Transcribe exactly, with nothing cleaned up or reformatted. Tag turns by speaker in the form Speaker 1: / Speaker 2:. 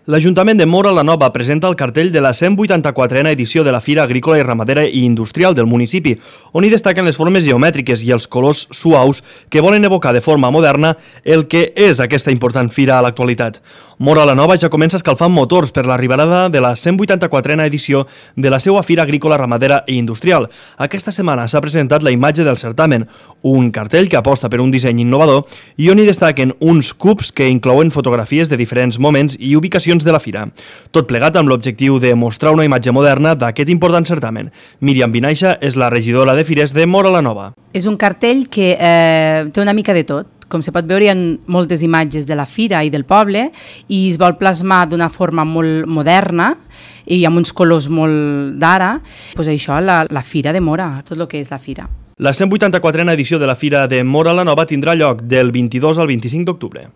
Speaker 1: L'Ajuntament de Móra la Nova presenta el cartell de la cent vuitanta-quatrena edició de la Fira Agrícola i Ramadera i Industrial del municipi, on hi destaquen les formes geomètriques i els colors suaus que volen evocar de forma moderna el que és aquesta important fira a l'actualitat. Móra la Nova ja comença escalfant motors per l'arribada de la cent vuitanta-quatrena edició de la seva Fira Agrícola, Ramadera i Industrial. Aquesta setmana s'ha presentat la imatge del certamen, un cartell que aposta per un disseny innovador i on hi destaquen uns cubs que inclouen fotografies de diferents moments i ubicacions de la fira. Tot plegat amb l'objectiu de mostrar una imatge moderna d'aquest important certamen. Míriam Vinaixa és la regidora de Fires de Móra la Nova.
Speaker 2: És un cartell que eh, té una mica de tot. Com se pot veure, hi ha moltes imatges de la fira i del poble i es vol plasmar d'una forma molt moderna i amb uns colors molt d'ara. Pues això, la, la fira de Móra, tot el que és la fira.
Speaker 1: La cent vuitanta-quatrena edició de la Fira de Móra la Nova tindrà lloc del vint-i-dos al vint-i-cinc d'octubre.